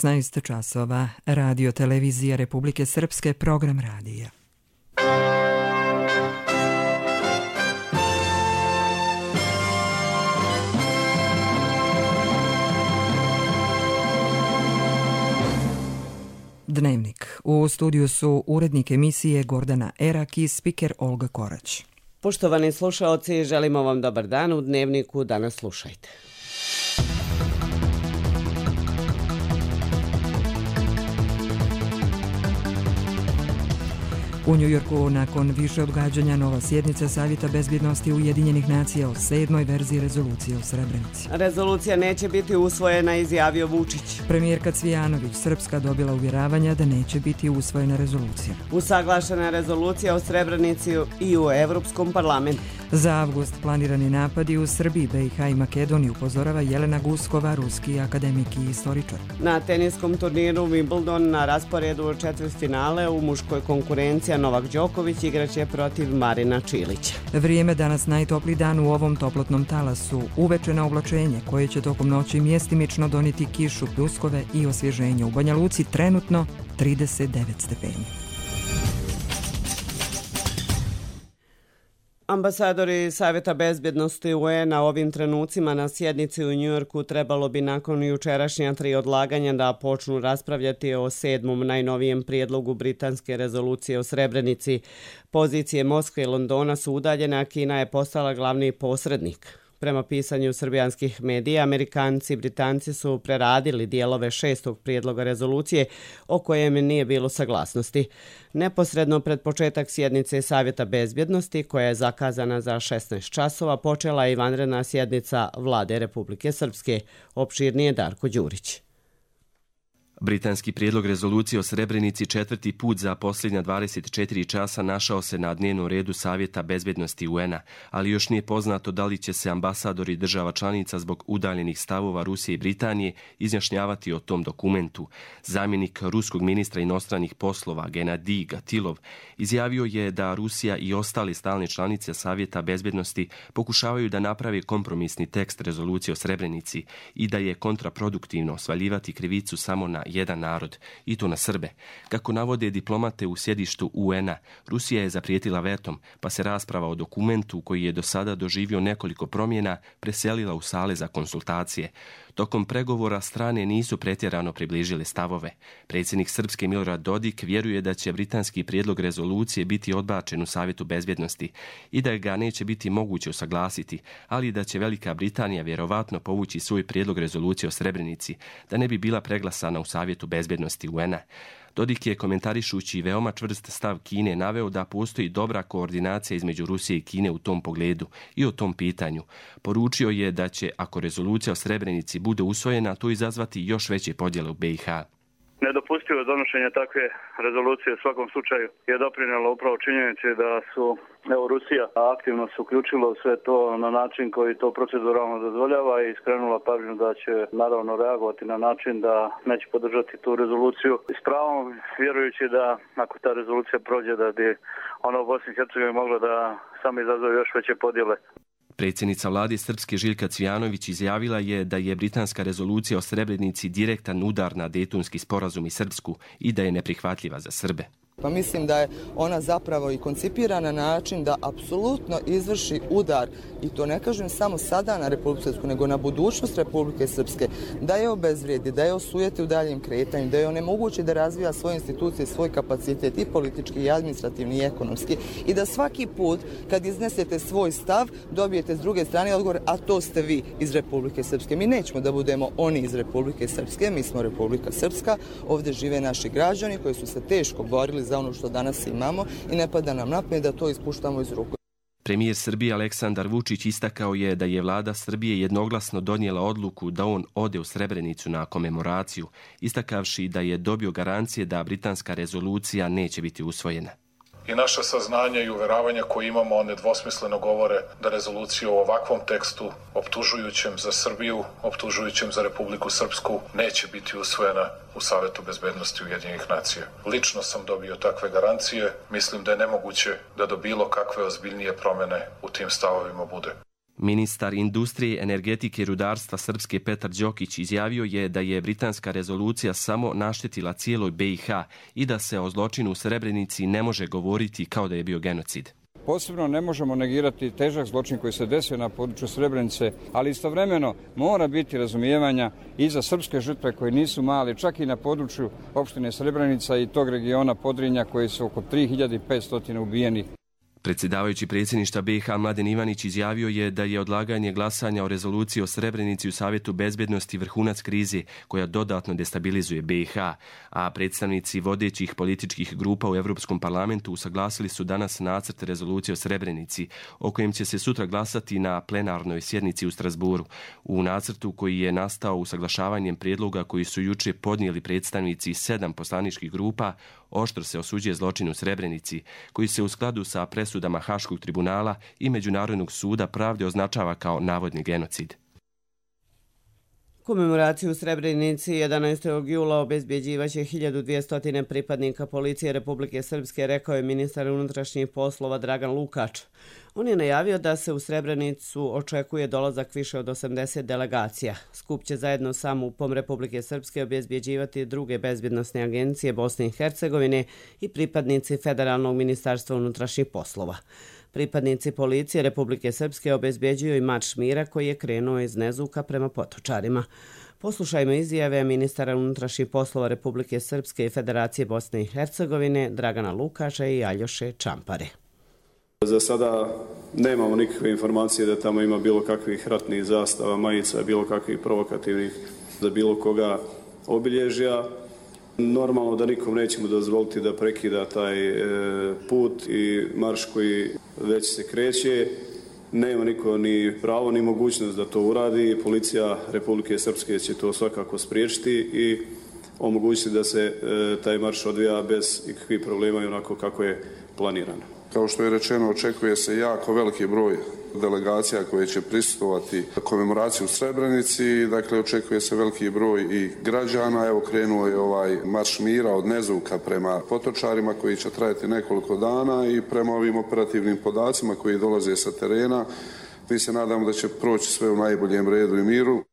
16 časova. Radio televizija Republike Srpske, program radija. Dnevnik. U studiju su urednik emisije Gordana Erak i spiker Olga Korać. Poštovani slušaoci, želimo vam dobar dan. U Dnevniku danas slušajte. U Njujorku nakon više odgađanja nova sjednica Savjeta bezbjednosti Ujedinjenih nacija o 7. verziji rezolucije o Srebrenici. Rezolucija neće biti usvojena, izjavio Vučić. Premijerka Cvijanović, Srpska dobila uvjeravanja da neće biti usvojena rezolucija. Usaglašena rezolucija o Srebrenici i u Evropskom parlamentu. Za avgust planirani napadi u Srbiji, BiH i Makedoniji, upozorava Jelena Guskova, ruski akademik i istoričar. Na teniskom turniru Wimbledon na rasporedu četvrtfinale u muškoj konkurenciji Novak Đoković igraće protiv Marina Čilića. Vrijeme danas najtopliji dan u ovom toplotnom talasu. Uveče na oblačenje koje će tokom noći mjestimično donijeti kišu, pljuskove i osvježenje. U Banja Luci trenutno 39 stepeni. Ambasadori Savjeta bezbjednosti UN-a ovim trenucima na sjednici u Njujorku trebalo bi nakon jučerašnja 3 odlaganja da počnu raspravljati o 7. najnovijem prijedlogu britanske rezolucije o Srebrenici. Pozicije Moskve i Londona su udaljene, a Kina je postala glavni posrednik. Prema pisanju srbijanskih medija, Amerikanci i Britanci su preradili dijelove 6. prijedloga rezolucije o kojem nije bilo saglasnosti. Neposredno pred početak sjednice Savjeta bezbjednosti, koja je zakazana za 16 časova, počela je i vanredna sjednica Vlade Republike Srpske. Opširnije Darko Đurić. Britanski prijedlog rezolucije o Srebrenici 4. put za posljednja 24 časa našao se na dnevnom redu Savjeta bezbjednosti UN-a, ali još nije poznato da li će se ambasadori država članica zbog udaljenih stavova Rusije i Britanije izjašnjavati o tom dokumentu. Zamjenik ruskog ministra inostranih poslova Genadij Gatilov izjavio je da Rusija i ostale stalne članice Savjeta bezbjednosti pokušavaju da naprave kompromisni tekst rezolucije o Srebrenici i da je kontraproduktivno svaljivati krivicu samo na jedan narod, i to na Srbe. Kako navode diplomate u sjedištu UN-a, Rusija je zaprijetila vetom, pa se rasprava o dokumentu koji je do sada doživio nekoliko promjena preselila u sale za konsultacije. Tokom pregovora strane nisu pretjerano približile stavove. Predsjednik Srpske Milorad Dodik vjeruje da će britanski prijedlog rezolucije biti odbačen u Savjetu bezbjednosti i da ga neće biti moguće usaglasiti, ali da će Velika Britanija vjerovatno povući svoj prijedlog rezolucije o Srebrenici, da ne bi bila preglasana u Savjetu bezbjednosti UN-a. Dodik je, komentarišući veoma čvrst stav Kine, naveo da postoji dobra koordinacija između Rusije i Kine u tom pogledu i o tom pitanju. Poručio je da će, ako rezolucija o Srebrenici bude usvojena, to izazvati još veće podjele u BiH. Nedopustivo donošenje takve rezolucije u svakom slučaju je doprinijelo upravo činjenici da su Rusija aktivno se uključila u sve to na način koji to proceduralno dozvoljava i skrenula pažnju da će naravno reagovati na način da neće podržati tu rezoluciju. S pravom vjerujući da ako ta rezolucija prođe da bi ona u Bosni i Hercegovini mogla da samo izazove još veće podjele. Predsjednica vlade Srpske Željka Cvijanović izjavila je da je britanska rezolucija o Srebrenici direktan udar na Dejtonski sporazum i Srpsku i da je neprihvatljiva za Srbe. Pa mislim da je ona zapravo i koncipirana na način da apsolutno izvrši udar, i to ne kažem samo sada na Republiku Srpsku, nego na budućnost Republike Srpske, da je obezvrijedi, da je osujeti u daljem kretanju, da je onemogući da razvija svoje institucije, svoj kapacitet i politički, i administrativni, i ekonomski, i da svaki put kad iznesete svoj stav dobijete s druge strane odgovor, a to ste vi iz Republike Srpske. Mi nećemo da budemo oni iz Republike Srpske, mi smo Republika Srpska, ovdje žive naši građani koji su se teško borili za ono što danas imamo i ne pada nam na pamet da to ispuštamo iz ruku. Premijer Srbije Aleksandar Vučić istakao je da je vlada Srbije jednoglasno donijela odluku da on ode u Srebrenicu na komemoraciju, istakavši da je dobio garancije da britanska rezolucija neće biti usvojena. I naše saznanja i uveravanja koje imamo nedvosmisleno govore da rezolucija u ovakvom tekstu, optužujućem za Srbiju, optužujućem za Republiku Srpsku, neće biti usvojena u Savjetu bezbednosti Ujedinjenih nacija. Lično sam dobio takve garancije. Mislim da je nemoguće da do bilo kakve ozbiljnije promjene u tim stavovima bude. Ministar industrije, energetike i rudarstva Srpske Petar Đokić izjavio je da je britanska rezolucija samo naštetila cijeloj BiH i da se o zločinu u Srebrenici ne može govoriti kao da je bio genocid. Posebno ne možemo negirati težak zločin koji se desio na području Srebrenice, ali istovremeno mora biti razumijevanja i za srpske žrtve koji nisu mali, čak i na području opštine Srebrenica i tog regiona Podrinja koji su oko 3500 ubijenih. Predsjedavajući predsjedništva BiH Mladen Ivanić izjavio je da je odlaganje glasanja o rezoluciji o Srebrenici u Savjetu bezbednosti vrhunac krize koja dodatno destabilizuje BiH, a predstavnici vodećih političkih grupa u Europskom parlamentu usaglasili su danas nacrt rezolucije o Srebrenici, o kojem će se sutra glasati na plenarnoj sjednici u Strasburu. U nacrtu koji je nastao usaglašavanjem prijedloga koji su juče podnijeli predstavnici 7 poslaničkih grupa, oštro se osuđuje zločin u Srebrenici, koji se u skladu sa presudama Haškog tribunala i Međunarodnog suda pravde označava kao navodni genocid. Komemoraciju u Srebrenici 11. jula obezbjeđivaće 1200 pripadnika policije Republike Srpske, rekao je ministar unutrašnjih poslova Dragan Lukač. On je najavio da se u Srebrenicu očekuje dolazak više od 80 delegacija. Skup će zajedno sa MUP-om Republike Srpske obezbjeđivati druge bezbjednosne agencije Bosne i Hercegovine i pripadnici Federalnog ministarstva unutrašnjih poslova. Pripadnici policije Republike Srpske obezbjeđuju i marš mira koji je krenuo iz Nezuka prema Potočarima. Poslušajmo izjave ministara unutrašnjih poslova Republike Srpske i Federacije Bosne i Hercegovine Dragana Lukača i Aljoše Čampare. Za sada nemamo nikakve informacije da tamo ima bilo kakvih ratnih zastava, majica, bilo kakvih provokativnih za bilo koga obilježja. Normalno da nikom nećemo dozvoliti da prekida taj put i marš koji već se kreće. Nema niko ni pravo ni mogućnost da to uradi. Policija Republike Srpske će to svakako spriječiti i omogućiti da se taj marš odvija bez ikakvih problema i onako kako je planirano. Kao što je rečeno, očekuje se jako veliki broj delegacija koje će prisustvovati komemoraciji u Srebrenici. Dakle, očekuje se veliki broj i građana. Evo, krenuo je ovaj marš mira od Nezuka prema Potočarima koji će trajati nekoliko dana i prema ovim operativnim podacima koji dolaze sa terena, mi se nadamo da će proći sve u najboljem redu i miru.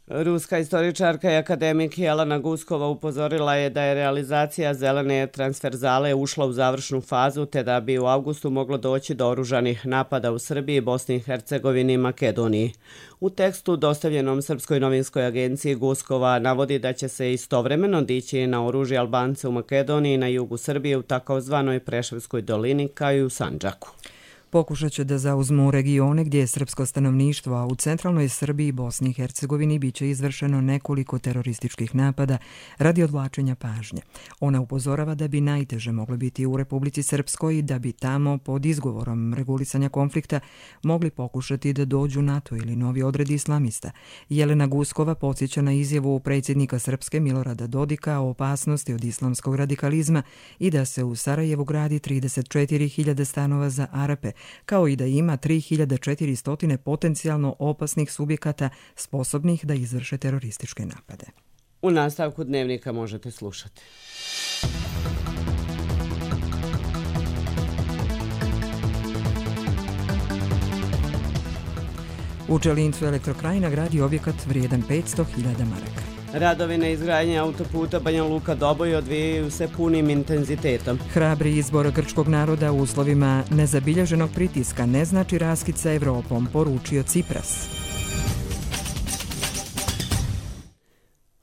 Ruska istoričarka i akademik Jelena Guskova upozorila je da je realizacija zelene transverzale ušla u završnu fazu te da bi u avgustu moglo doći do oružanih napada u Srbiji, Bosni i Hercegovini i Makedoniji. U tekstu dostavljenom Srpskoj novinskoj agenciji Guskova navodi da će se istovremeno dići na oružje Albance u Makedoniji na jugu Srbije u takozvanoj Preševskoj dolini kao i u Sandžaku. Pokušat će da zauzmu regione gdje je srpsko stanovništvo, a u centralnoj Srbiji i Bosni i Hercegovini biće izvršeno nekoliko terorističkih napada radi odvlačenja pažnje. Ona upozorava da bi najteže moglo biti u Republici Srpskoj i da bi tamo pod izgovorom regulisanja konflikta mogli pokušati da dođu NATO ili novi odredi islamista. Jelena Guskova podsjeća na izjavu predsjednika Srpske Milorada Dodika o opasnosti od islamskog radikalizma i da se u Sarajevu gradi 34.000 stanova za Arape, kao i da ima 3.400 potencijalno opasnih subjekata sposobnih da izvrše terorističke napade. U nastavku dnevnika možete slušati. U Čelincu Elektrokrajina gradi objekat vrijedan 500.000 maraka. Radovi na izgradnji autoputa Banja Luka-Doboj odvijaju se punim intenzitetom. Hrabri izbor grčkog naroda u uslovima nezabilježenog pritiska ne znači raskid sa Evropom, poručio Cipras.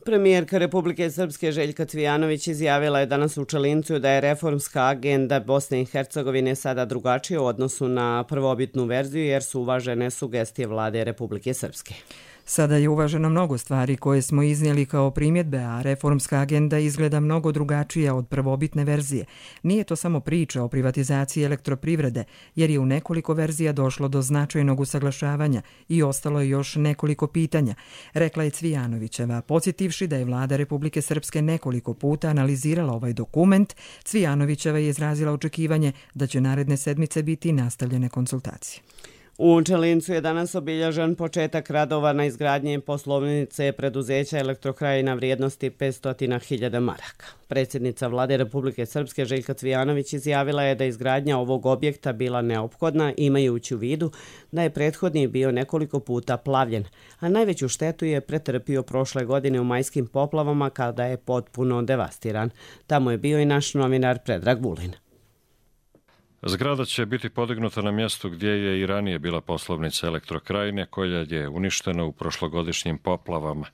Premijerka Republike Srpske Željka Cvijanović izjavila je danas u Čelincu da je reformska agenda Bosne i Hercegovine sada drugačija u odnosu na prvobitnu verziju jer su uvažene sugestije vlade Republike Srpske. Sada je uvaženo mnogo stvari koje smo iznijeli kao primjedbe, a reformska agenda izgleda mnogo drugačija od prvobitne verzije. Nije to samo priča o privatizaciji elektroprivrede, jer je u nekoliko verzija došlo do značajnog usaglašavanja i ostalo je još nekoliko pitanja, rekla je Cvijanovićeva. Podsjetivši da je vlada Republike Srpske nekoliko puta analizirala ovaj dokument, Cvijanovićeva je izrazila očekivanje da će naredne sedmice biti nastavljene konsultacije. U Čelincu je danas obilježen početak radova na izgradnji poslovnice preduzeća Elektrokrajina vrijednosti 500.000 maraka. Predsjednica Vlade Republike Srpske Željka Cvijanović izjavila je da izgradnja ovog objekta bila neophodna imajući u vidu da je prethodni bio nekoliko puta plavljen, a najveću štetu je pretrpio prošle godine u majskim poplavama kada je potpuno devastiran. Tamo je bio i naš novinar Predrag Vulin. Zgrada će biti podignuta na mjestu gdje je i ranije bila poslovnica Elektrokrajine, koja je uništena u prošlogodišnjim poplavama.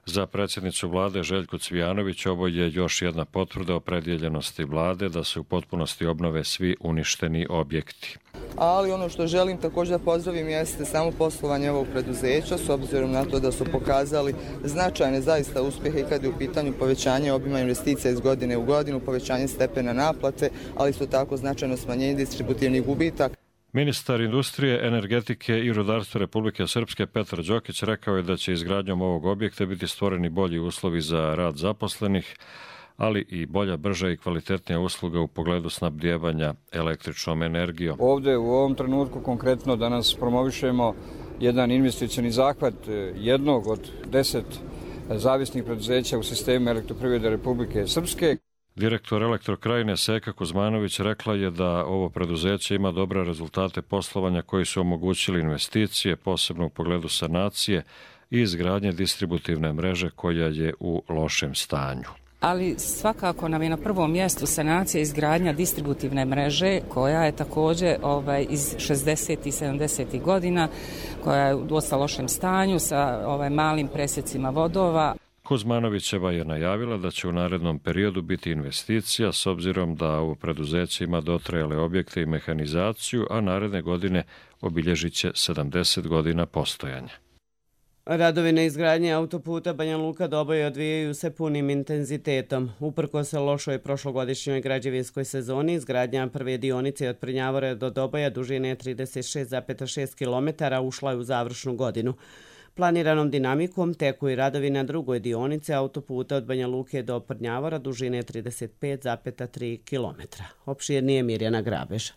Za predsjednicu Vlade Željku Cvijanović ovo je još jedna potvrda opredjeljenosti Vlade da se u potpunosti obnove svi uništeni objekti. Ali ono što želim također da pozdravim jeste samo poslovanje ovog preduzeća, s obzirom na to da su pokazali značajne zaista uspjehe i kad je u pitanju povećanje obima investicija iz godine u godinu, povećanje stepena naplate, ali isto tako značajno smanjenje distributivnih gubitaka. Ministar industrije, energetike i rudarstva Republike Srpske Petar Đokić rekao je da će izgradnjom ovog objekta biti stvoreni bolji uslovi za rad zaposlenih, ali i bolja, brža i kvalitetnija usluga u pogledu snabdijevanja električnom energijom. Ovdje u ovom trenutku konkretno danas promovišemo jedan investicioni zahvat jednog od 10 zavisnih preduzeća u sistemu elektroprivrede Republike Srpske. Direktor Elektrokrajine Seka Kuzmanović rekla je da ovo preduzeće ima dobre rezultate poslovanja koji su omogućili investicije, posebno u pogledu sanacije i izgradnje distributivne mreže koja je u lošem stanju. Ali svakako nam je na prvom mjestu sanacija i izgradnja distributivne mreže koja je također iz 60. i 70. godina, koja je u dosta lošem stanju sa malim presjecima vodova. Kuzmanovićeva je najavila da će u narednom periodu biti investicija s obzirom da ovo preduzeće ima dotrajale objekte i mehanizaciju, a naredne godine obilježit će 70 godina postojanja. Radovi na izgradnji autoputa Banja Luka-Doboj odvijaju se punim intenzitetom. Uprkos lošoj prošlogodišnjoj građevinskoj sezoni, izgradnja prve dionice od Prnjavora do Doboja dužine 36,6 km ušla je u završnu godinu. Planiranom dinamikom teku i radovi na drugoj dionici autoputa od Banja Luke do Prnjavora dužine 35,3 km. Opširnije Mirjana Grabež.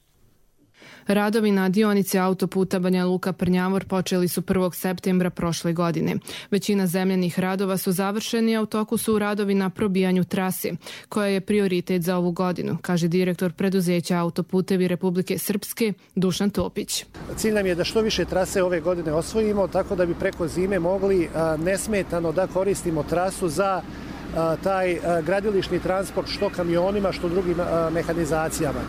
Radovi na dionici autoputa Banja Luka-Prnjavor počeli su 1. septembra prošle godine. Većina zemljanih radova su završeni, a u toku su radovi na probijanju trase, koja je prioritet za ovu godinu, kaže direktor preduzeća Autoputevi Republike Srpske Dušan Topić. Cilj nam je da što više trase ove godine osvojimo, tako da bi preko zime mogli nesmetano da koristimo trasu za taj gradilišni transport što kamionima, što drugim mehanizacijama.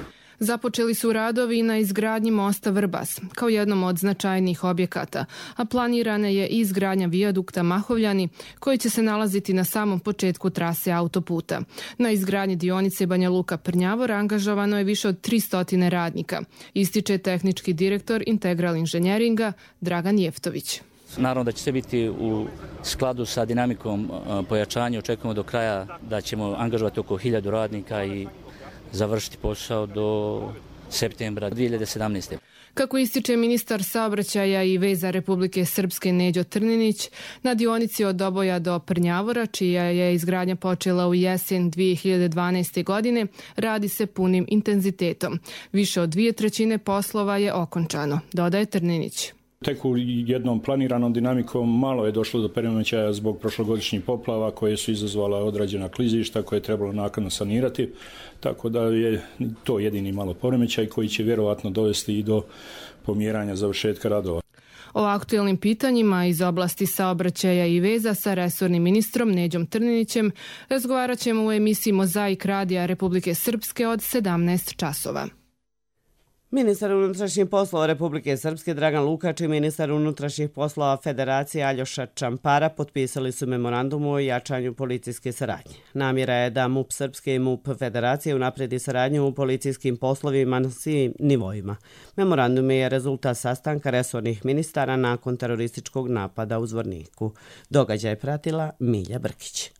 Započeli su radovi na izgradnji mosta Vrbas, kao jednom od značajnijih objekata, a planirana je i izgradnja vijadukta Mahovljani, koji će se nalaziti na samom početku trase autoputa. Na izgradnji dionice Banja Luka-Prnjavor angažovano je više od 300 radnika, ističe tehnički direktor Integral inženjeringa Dragan Jeftović. Naravno da će sve biti u skladu sa dinamikom pojačanja. Očekujemo do kraja da ćemo angažovati oko 1000 radnika i završiti posao do septembra 2017. Kako ističe ministar saobraćaja i veza Republike Srpske Neđo Trninić, na dionici od Doboja do Prnjavora, čija je izgradnja počela u jesen 2012. godine, radi se punim intenzitetom. Više od 2/3 poslova je okončano, dodaje Trninić. Tek u jednom planiranom dinamikom malo je došlo do poremećaja zbog prošlogodišnjih poplava koje su izazvala određena klizišta koje je trebalo naknadno sanirati, tako da je to jedini malo poremećaj koji će vjerovatno dovesti i do pomjeranja završetka radova. O aktuelnim pitanjima iz oblasti saobraćaja i veza sa resornim ministrom Neđom Trninićem razgovarat ćemo u emisiji Mozaik radija Republike Srpske od 17 časova. Ministar unutrašnjih poslova Republike Srpske Dragan Lukač i ministar unutrašnjih poslova Federacije Aljoša Čampara potpisali su memorandum o jačanju policijske saradnje. Namjera je da MUP Srpske i MUP Federacije unapredi saradnju u policijskim poslovima na svim nivoima. Memorandum je rezultat sastanka resornih ministara nakon terorističkog napada u Zvorniku. Događaj pratila Milja Brkić.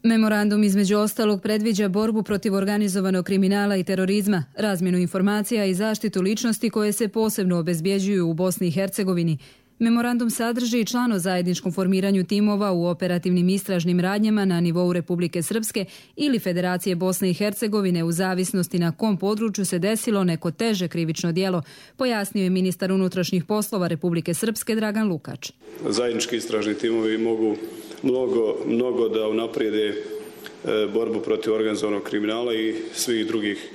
Memorandum između ostalog predviđa borbu protiv organizovanog kriminala i terorizma, razmjenu informacija i zaštitu ličnosti koje se posebno obezbjeđuju u Bosni i Hercegovini. Memorandum sadrži i član o zajedničkom formiranju timova u operativnim istražnim radnjama na nivou Republike Srpske ili Federacije Bosne i Hercegovine u zavisnosti na kom području se desilo neko teže krivično djelo, pojasnio je ministar unutrašnjih poslova Republike Srpske Dragan Lukač. Zajednički istražni timovi mogu mnogo da unaprijede borbu protiv organizovanog kriminala i svih drugih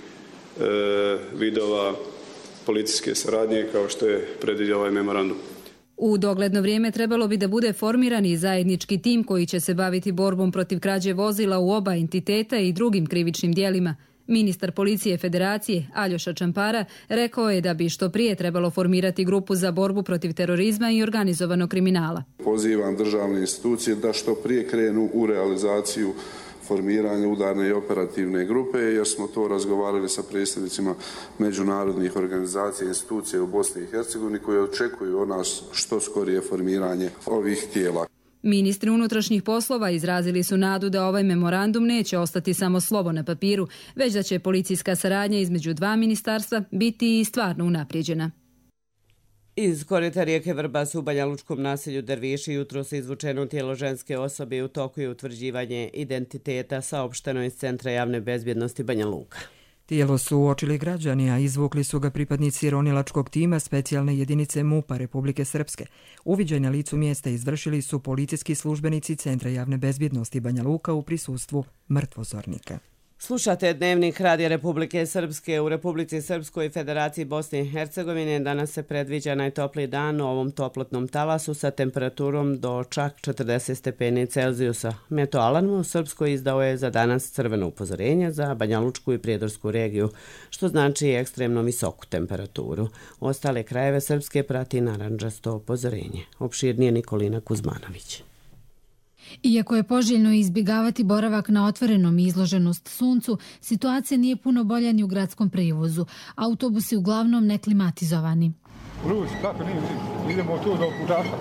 vidova policijske saradnje kao što je predvidio ovaj memorandum. U dogledno vrijeme trebalo bi da bude formiran i zajednički tim koji će se baviti borbom protiv krađe vozila u oba entiteta i drugim krivičnim djelima. Ministar policije Federacije Aljoša Čampara rekao je da bi što prije trebalo formirati grupu za borbu protiv terorizma i organizovanog kriminala. Pozivam državne institucije da što prije krenu u realizaciju formiranja udarne i operativne grupe, jer smo to razgovarali sa predstavnicima međunarodnih organizacija i institucija u Bosni i Hercegovini koji očekuju od nas što skorije formiranje ovih tijela. Ministri unutrašnjih poslova izrazili su nadu da ovaj memorandum neće ostati samo slovo na papiru, već da će policijska saradnja između dva ministarstva biti i stvarno unaprijeđena. Iz korita rijeke Vrbas u Banjalučkom naselju Derviši jutro se izvučeno tijelo ženske osobe i u toku je utvrđivanje identiteta, saopšteno iz Centra javne bezbjednosti Banja Luka. Tijelo su uočili građani, a izvukli su ga pripadnici ronilačkog tima specijalne jedinice MUP-a Republike Srpske. Uviđaj na licu mjesta izvršili su policijski službenici Centra javne bezbjednosti Banja Luka u prisustvu mrtvozornika. Slušate Dnevnik Radija Republike Srpske. U Republici Srpskoj i Federaciji Bosne i Hercegovine danas se predviđa najtopliji dan u ovom toplotnom talasu sa temperaturom do čak 40 stepeni Celzijusa. Meteoalarm u Srpskoj izdao je za danas crveno upozorenje za Banjalučku i Prijedorsku regiju, što znači ekstremno visoku temperaturu. Ostale krajeve Srpske prati narandžasto upozorenje. Opširnije Nikolina Kuzmanović. Iako je poželjno izbjegavati boravak na otvorenom i izloženost suncu, situacija nije puno bolja ni u gradskom prevozu. Autobusi uglavnom neklimatizovani. Vruć, kako nije vruć? Idemo tu do Pužaša.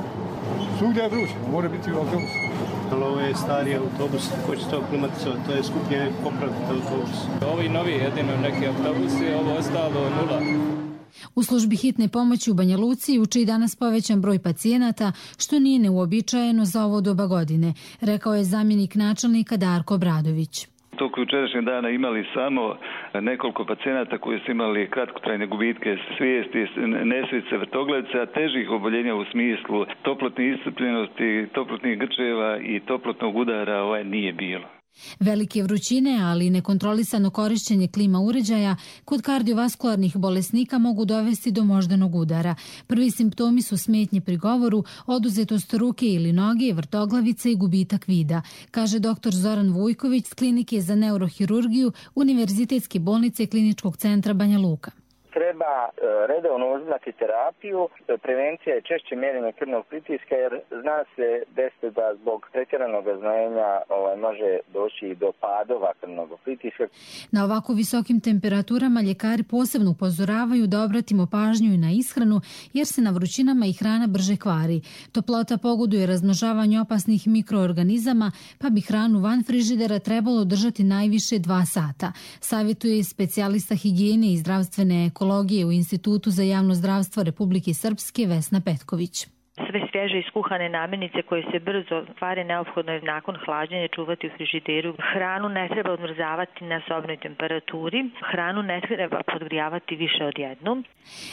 Svugdje je vruć, mora biti u autobusu. Ovo je stari autobus, ko će to klimatizovati, to je skuplje popraviti autobus. Ovi novi jedino neki autobusi, ovo ostalo nula. U službi hitne pomoći u Banja Luci juče i danas povećan broj pacijenata, što nije neuobičajeno za ovo doba godine, rekao je zamjenik načelnika Darko Bradović. Tokom jučerašnjeg dana imali samo nekoliko pacijenata koji su imali kratkotrajne gubitke svijesti, nesvice, vrtoglavice, a težih oboljenja u smislu toplotne iscrpljenosti, toplotnih grčeva i toplotnog udara nije bilo. Velike vrućine, ali i nekontrolisano korišćenje klima uređaja kod kardiovaskularnih bolesnika mogu dovesti do moždanog udara. Prvi simptomi su smetnje pri govoru, oduzetost ruke ili noge, vrtoglavice i gubitak vida, kaže dr. Zoran Vujković s Klinike za neurohirurgiju Univerzitetske bolnice Kliničkog centra Banja Luka. Treba redovno uzimati terapiju. Prevencija je češće mjerenje krvnog pritiska jer zna se desiti da zbog pretjeranog znojenja može doći i do padova krvnog pritiska. Na ovako visokim temperaturama ljekari posebno upozoravaju da obratimo pažnju i na ishranu jer se na vrućinama i hrana brže kvari. Toplota pogoduje razmnožavanju opasnih mikroorganizama pa bi hranu van frižidera trebalo držati najviše 2 sata. Savjetuje specijalista higijene i zdravstvene ekologije u Institutu za javno zdravstvo Republike Srpske Vesna Petković. Sve svježe iskuhane namirnice koje se brzo kvare neophodno je nakon hlađenja čuvati u frižideru. Hranu ne treba odmrzavati na sobnoj temperaturi. Hranu ne treba podgrijavati više od jednom.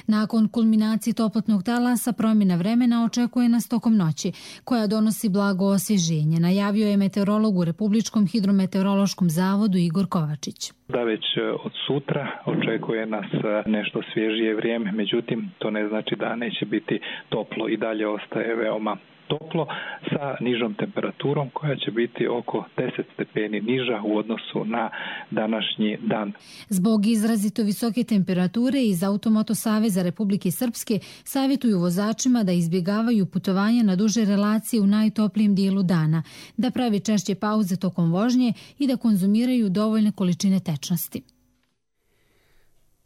Nakon kulminacije toplotnog talasa promjena vremena očekuje nas tokom noći, koja donosi blago osvježenje, najavio je meteorolog u Republičkom hidrometeorološkom zavodu Igor Kovačić. Da već od sutra očekuje nas nešto svježije vrijeme, međutim to ne znači da neće biti toplo, i dalje ostaje veoma toplo sa nižom temperaturom koja će biti oko 10 stepeni niža u odnosu na današnji dan. Zbog izrazito visoke temperature iz Automoto Saveza Republike Srpske savjetuju vozačima da izbjegavaju putovanja na duže relacije u najtoplijem dijelu dana, da pravi češće pauze tokom vožnje i da konzumiraju dovoljne količine tečnosti.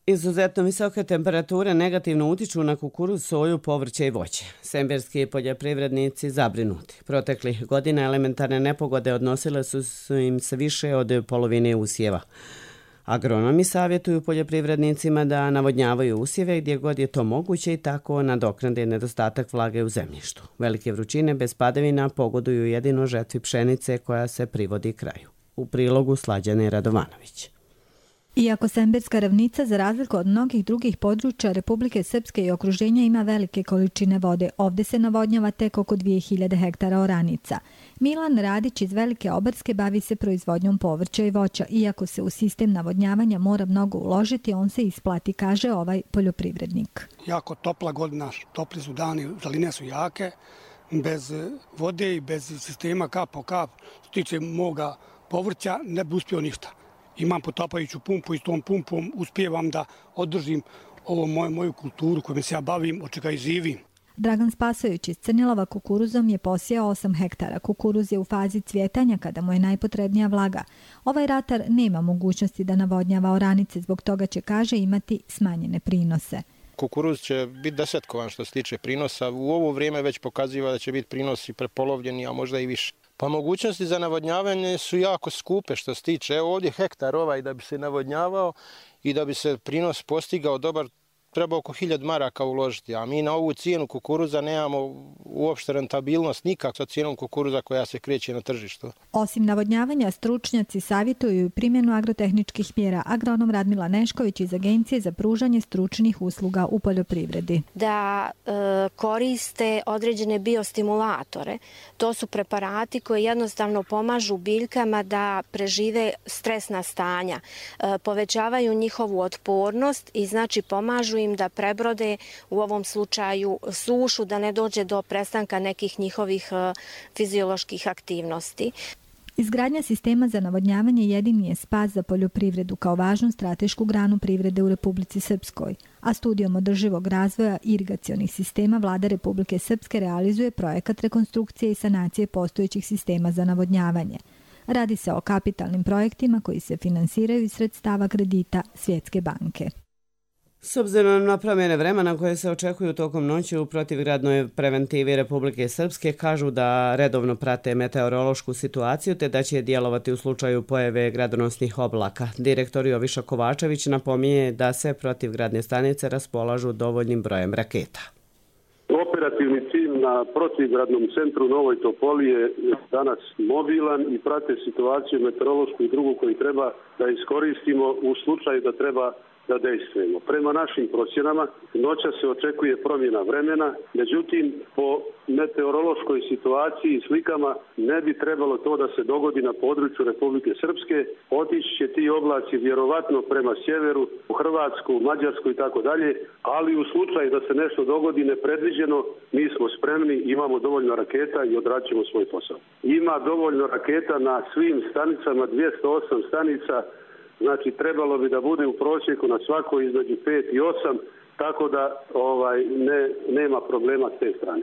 Izuzetno visoke temperature negativno utiču na kukuruz, soju, povrće i voće. Semberski poljoprivrednici zabrinuti. Proteklih godina elementarne nepogode odnosile su im se više od polovine usjeva. Agronomi savjetuju poljoprivrednicima da navodnjavaju usjeve gdje god je to moguće i tako nadoknade nedostatak vlage u zemljištu. Velike vrućine bez padavina pogoduju jedino žetvi pšenice koja se privodi kraju. U prilogu Slađane Radovanović. Iako Semberska ravnica, za razliku od mnogih drugih područja Republike Srpske i okruženja, ima velike količine vode, ovdje se navodnjava tek oko 2000 hektara oranica. Milan Radić iz Velike Obarske bavi se proizvodnjom povrća i voća. Iako se u sistem navodnjavanja mora mnogo uložiti, on se isplati, kaže ovaj poljoprivrednik. Jako topla godina, topli su dani, zaline su jake, bez vode i bez sistema kap po kap, što tiče moga povrća, ne bi uspio ništa. Imam potapajuću pumpu i s tom pumpom uspijevam da održim ovo moju kulturu kojom se ja bavim, od čega i živim. Dragan Spasović iz Crnilova kukuruzom je posijao 8 hektara. Kukuruz je u fazi cvjetanja kada mu je najpotrebnija vlaga. Ovaj ratar nema mogućnosti da navodnjava oranice, zbog toga će, kaže, imati smanjene prinose. Kukuruz će biti desetkovan što se tiče prinosa. U ovo vrijeme već pokaziva da će biti prinosi prepolovljeni, a možda i više. Pa mogućnosti za navodnjavanje su jako skupe što se tiče. Evo ovdje hektar ovaj da bi se navodnjavao i da bi se prinos postigao dobar, treba oko 1000 maraka uložiti, a mi na ovu cijenu kukuruza nemamo uopšte rentabilnost nikak sa cijenom kukuruza koja se kreće na tržištu. Osim navodnjavanja, stručnjaci savjetuju i primjenu agrotehničkih mjera. Agronom Radmila Nešković iz Agencije za pružanje stručnih usluga u poljoprivredi. Da koriste određene biostimulatore. To su preparati koji jednostavno pomažu biljkama da prežive stresna stanja, povećavaju njihovu otpornost i znači pomažu im da prebrode u ovom slučaju sušu, da ne dođe do prestanka nekih njihovih fizioloških aktivnosti. Izgradnja sistema za navodnjavanje jedini je spas za poljoprivredu kao važnu stratešku granu privrede u Republici Srpskoj, a studijom održivog razvoja irigacionih sistema Vlada Republike Srpske realizuje projekat rekonstrukcije i sanacije postojećih sistema za navodnjavanje. Radi se o kapitalnim projektima koji se finansiraju iz sredstava kredita Svjetske banke. S obzirom na promjene vremena koje se očekuju tokom noći u protivgradnoj preventivi Republike Srpske, kažu da redovno prate meteorološku situaciju te da će djelovati u slučaju pojave gradonosnih oblaka. Direktor Joviša Kovačević napominje da se protivgradne stanice raspolažu dovoljnim brojem raketa. Operativni tim na protivgradnom centru Novoj Topoli je danas mobilan i prate situaciju meteorološku i drugu koju treba da iskoristimo u slučaju da treba da dejstvujemo. Prema našim procjenama, noća se očekuje promjena vremena, međutim, po meteorološkoj situaciji i slikama ne bi trebalo to da se dogodi na području Republike Srpske. Otići će ti oblaci vjerovatno prema sjeveru, u Hrvatsku, Mađarsku i tako dalje, ali u slučaju da se nešto dogodi nepredviđeno, mi smo spremni, imamo dovoljno raketa i odrađujemo svoj posao. Ima dovoljno raketa na svim stanicama, 208 stanica. Znači, trebalo bi da bude u prosjeku na svakoj između 5 i 8, tako da nema problema s te strane.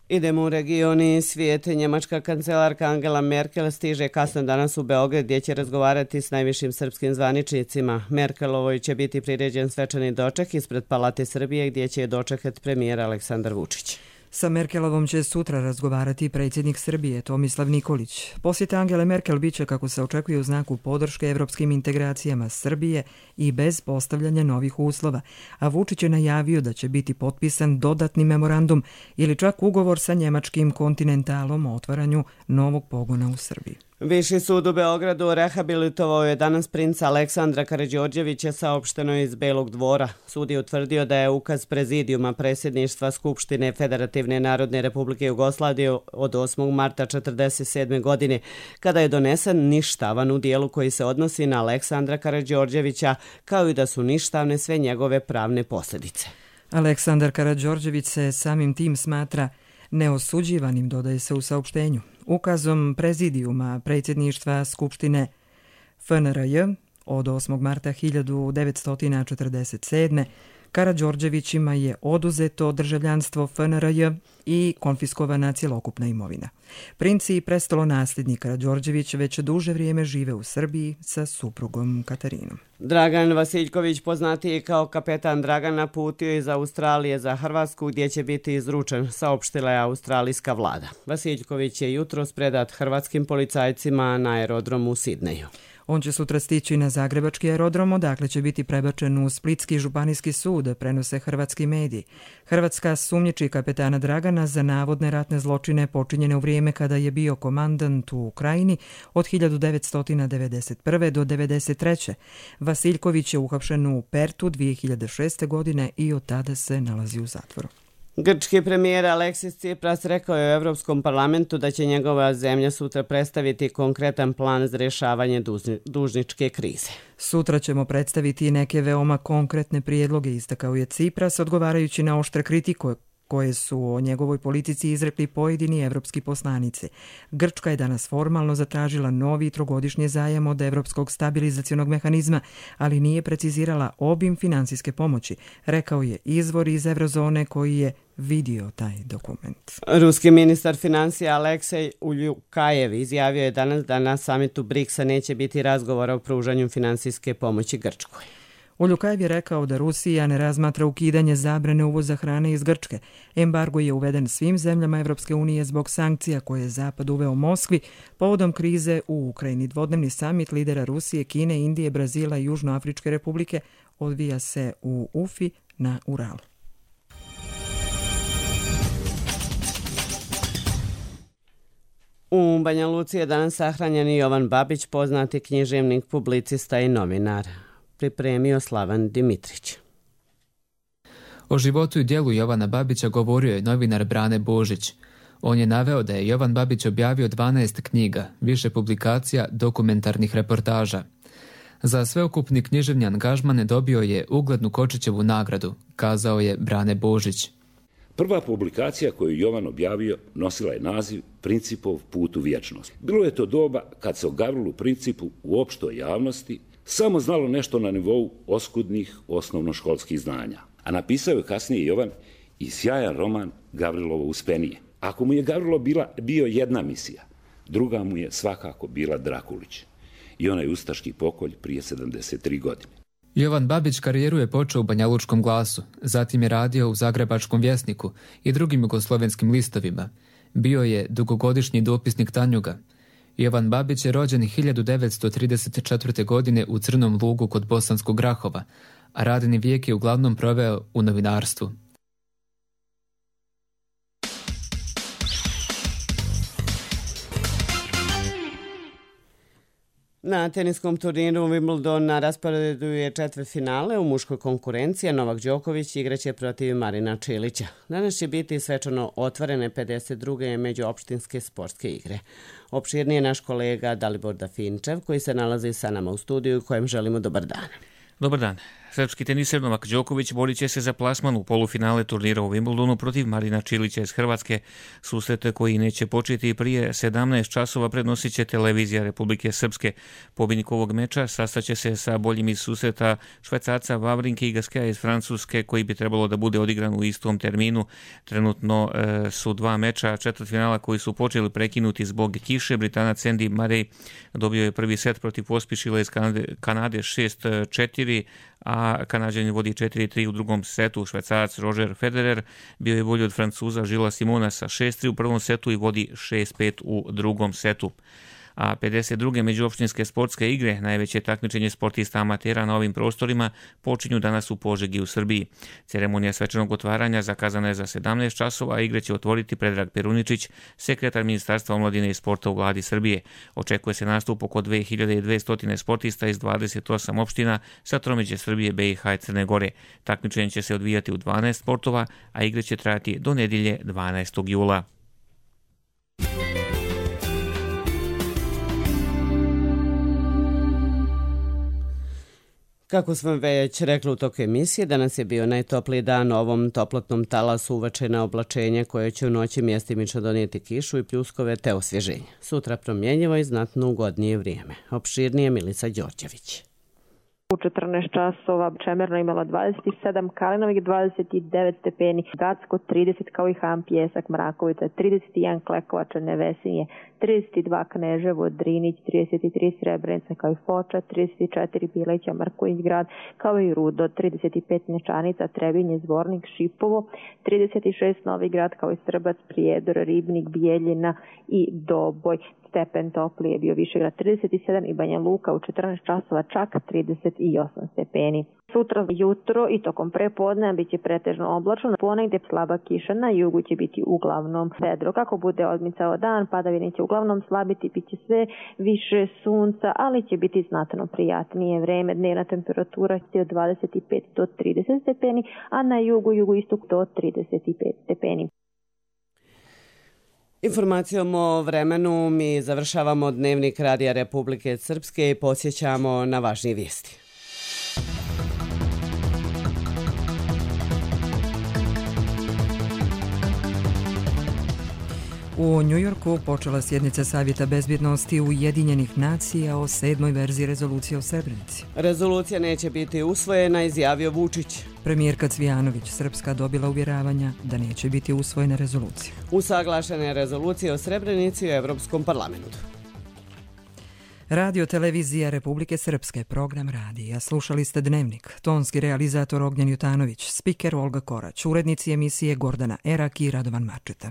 Idemo u regioni svijet. Njemačka kancelarka Angela Merkel stiže kasno danas u Beograd gdje će razgovarati s najvišim srpskim zvaničnicima. Merkelovoj će biti priređen svečani doček ispred Palate Srbije gdje će je dočekati premijer Aleksandar Vučić. Sa Merkelovom će sutra razgovarati predsjednik Srbije Tomislav Nikolić. Posjeta Angele Merkel biće, kako se očekuje, u znaku podrške evropskim integracijama Srbije i bez postavljanja novih uslova, a Vučić je najavio da će biti potpisan dodatni memorandum ili čak ugovor sa njemačkim Kontinentalom o otvaranju novog pogona u Srbiji. Viši sud u Beogradu rehabilitovao je danas princa Aleksandra Karađorđevića, saopšteno iz Belog dvora. Sud je utvrdio da je ukaz prezidijuma predsjedništva Skupštine Federativne Narodne Republike Jugoslavije od 8. marta 1947. godine, kada je donesen, ništavan u dijelu koji se odnosi na Aleksandra Karađorđevića, kao i da su ništavne sve njegove pravne posljedice. Aleksandar Karađorđević se samim tim smatra neosuđivanim, dodaje se u saopštenju. Ukazom prezidijuma predsjedništva Skupštine FNRJ od 8. marta 1947. Karađorđevićima je oduzeto državljanstvo FNRJ i konfiskovana cjelokupna imovina. Princ i prestolonasljednik Karađorđević već duže vrijeme žive u Srbiji sa suprugom Katarinom. Dragan Vasiljković, poznatiji kao kapetan Dragana, putio iz Australije za Hrvatsku gdje će biti izručen, saopštila je australijska vlada. Vasiljković je jutros predat hrvatskim policajcima na aerodromu u Sidneju. On će sutra stići na Zagrebački aerodrom, odakle će biti prebačen u Splitski županijski sud, prenose hrvatski mediji. Hrvatska sumnjiči kapetana Dragana za navodne ratne zločine počinjene u vrijeme kada je bio komandant u Ukrajini od 1991. do 1993. Vasiljković je uhapšen u Pertu 2006. godine i od tada se nalazi u zatvoru. Grčki premijer Aleksis Tsipras rekao je u Europskom parlamentu da će njegova zemlja sutra predstaviti konkretan plan za rješavanje dužničke krize. Sutra ćemo predstaviti neke veoma konkretne prijedloge, istakao je Tsipras, odgovarajući na oštre kritike koje su o njegovoj politici izrekli pojedini evropski poslanici. Grčka je danas formalno zatražila novi trogodišnji zajam od Evropskog stabilizacionog mehanizma, ali nije precizirala obim finansijske pomoći, rekao je izvor iz Eurozone koji je vidio taj dokument. Ruski ministar financija Aleksej Uljukajev izjavio je danas da na samitu BRICS-a neće biti razgovora o pružanju finansijske pomoći Grčkoj. Uljukajev je rekao da Rusija ne razmatra ukidanje zabrane uvoza hrane iz Grčke. Embargo je uveden svim zemljama Evropske unije zbog sankcija koje je Zapad uveo Moskvi povodom krize u Ukrajini. Dvodnevni samit lidera Rusije, Kine, Indije, Brazila i Južnoafričke republike odvija se u Ufi na Uralu. U Banja Luci je danas sahranjen Jovan Babić, poznati književnik, publicista i novinar. Pripremio Slavan Dimitrić. O životu i djelu Jovana Babića govorio je novinar Brane Božić. On je naveo da je Jovan Babić objavio 12 knjiga, više publikacija, dokumentarnih reportaža. Za sveukupni književni angažman dobio je uglednu Kočićevu nagradu, kazao je Brane Božić. Prva publikacija koju Jovan objavio nosila je naziv Principov put u vječnost. Bilo je to doba kad se o Gavrilu Principu u opštoj javnosti samo znalo nešto na nivou oskudnih osnovnoškolskih znanja. A napisao je kasnije Jovan i sjajan roman Gavrilovo uspenije. Ako mu je Gavrilo bio jedna misija, druga mu je svakako bila Drakulić i onaj ustaški pokolj prije 73 godine. Jovan Babić karijeru je počeo u Banjalučkom glasu, zatim je radio u Zagrebačkom vjesniku i drugim jugoslovenskim listovima. Bio je dugogodišnji dopisnik Tanjuga. Jovan Babić je rođen 1934. godine u Crnom Lugu kod Bosanskog Grahova, a radni vijek je uglavnom proveo u novinarstvu. Na teniskom turniru Wimbledon na rasporedu je četvrtfinale u muškoj konkurenciji. Novak Đoković igraće protiv Marina Čilića. Danas će biti svečano otvorene 52. međuopštinske sportske igre. Opširnije naš kolega Dalibor Dafinčev koji se nalazi sa nama u studiju kojem želimo dobar dan. Dobar dan. Srpski teniser Novak Đoković borit će se za plasman u polufinale turnira u Wimbledonu protiv Marina Čilića iz Hrvatske. Susret koji neće početi prije 17 časova prenosit će televizija Republike Srpske. Pobjednik ovog meča sastaće se sa boljim iz susreta Švajcarca Wawrinke i Gasqueta iz Francuske koji bi trebalo da bude odigran u istom terminu. Trenutno su dva meča četvrtfinala koji su počeli prekinuti zbog kiše. Britanac Andy Murray dobio je prvi set protiv Pospišila iz Kanade 6-4, a Kanađanin vodi 4-3 u drugom setu. Švajcarac Roger Federer bio je bolji od Francuza Žila Simona sa 6-3 u prvom setu i vodi 6-5 u drugom setu. A 52. međuopštinske sportske igre, najveće takmičenje sportista amatera na ovim prostorima, počinju danas u Požegi u Srbiji. Ceremonija svečanog otvaranja zakazana je za 17 časova, a igre će otvoriti Predrag Peruničić, sekretar Ministarstva omladine i sporta u vladi Srbije. Očekuje se nastup oko 2200 sportista iz 28 opština sa tromeđe Srbije, BiH i Crne Gore. Takmičenje će se odvijati u 12 sportova, a igre će trajati do nedjelje 12. jula. Kako smo već rekli u toku emisije, danas je bio najtopliji dan. Ovom toplotnom talasu uveče na oblačenje koje će u noći mjestimično donijeti kišu i pljuskove te osvježenje. Sutra promjenjivo i znatno ugodnije vrijeme. Opširnije Milica Đorđević. U 14 časova Čemerno imala 27, Kalinovik 29 stepeni, Gacko 30 kao i Han, Pjesak, Mrakovica 31, Klekovača, Nevesinje 32, Kneževo, Drinić 33, Srebrenica kao i Foča 34, Bileća, Marković grad kao i Rudo 35, Nečanica, Trebinje, Zvornik, Šipovo 36, Novi grad kao i Srbac, Prijedor, Ribnik, Bijeljina i Doboj. Stepen toplije bio Višegrad 37 i Banja Luka u 14 časova čak 38 stepeni. Sutra jutro i tokom prepodne bit će pretežno oblačno, ponegdje slaba kiša, na jugu će biti uglavnom vedro. Kako bude odmicao dan, padavine će uglavnom slabiti, bit će sve više sunca, ali će biti znatno prijatnije vreme. Dnevna temperatura će od 25 do 30 stepeni, a na jugoistok do 35 stepeni. Informacijom o vremenu mi završavamo dnevnik Radija Republike Srpske i podsjećamo na važnije vijesti. U Njujorku počela sjednica Savjeta bezbjednosti Ujedinjenih nacija o 7. verziji rezolucije o Srebrenici. Rezolucija neće biti usvojena, izjavio Vučić. Premijerka Cvijanović, Srpska, dobila uvjeravanja da neće biti usvojena rezolucija. Usaglašene rezolucije o Srebrenici u Evropskom parlamentu. Radio televizija Republike Srpske, program radija. Slušali ste Dnevnik. Tonski realizator Ognjen Jutanović, spiker Olga Korać, urednici emisije Gordana Erak i Radovan Mačeta.